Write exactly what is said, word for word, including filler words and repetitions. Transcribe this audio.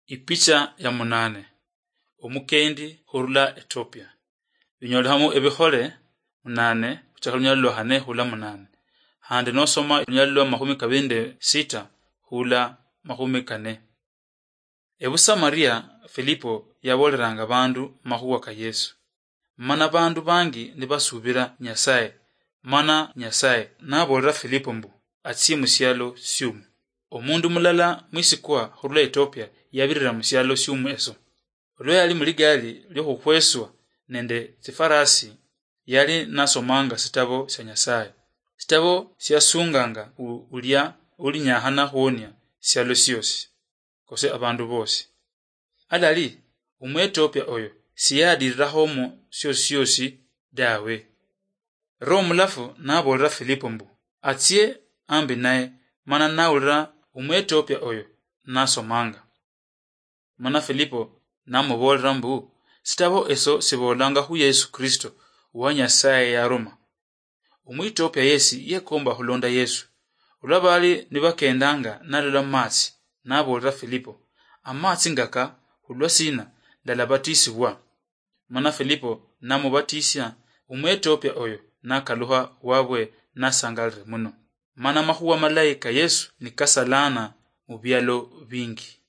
Ipicha ya munane. Omukendi hurula Ethiopia. Binyolehamu ebihole munane, huchaka lunyalo lwa hane hula munane. Handi nosoma lunyalo lwa mahumi kabiri nde sita hula mahumi kane. Ebu Samaria, Filipo yaboleranga bandu mahuwa ka Yesu. Mana bandu bangi nibasubira Nyasaye. Mana Nyasaye nabolera Filipo mbu atsie musialo siumu. Omundu mulala mwisikwa hurula Ethiopia yabirira musialo siumu eso. Olwa yali muligari liohuhweswa nende tsifarasi, yali nasomanga sitabo sia Nyasaye. Sitabo siasunganga u-, ulia ulinyahana huonia sialo siosi, kose abandu bosi. Alali, Omwethiopia oyo siyadirirahomo siosi siosi dawe. Roho Mulafu nabolera Filipo mbu atsie ambi naye, mana naulira Omwethiopia oyo nasomanga. Mana Filipo namubolera mbu, sitabo eso sibolanga hu Yesu Kristo, wa Nyasaye yaruma. Omwethiopia yesi yekomba hulonda Yesu. Olwa bali nibakendanga nalola mumatsi, nabolera Filipo, amatsi ngaka hulwa sina ndalabatisibwa? Mana Filipo namubatisia, Omwethiopia oyo nakaluha wabwe nasangalire muno. Mana mahuwa malayi ka Yesu nikasalana mubialo bingi.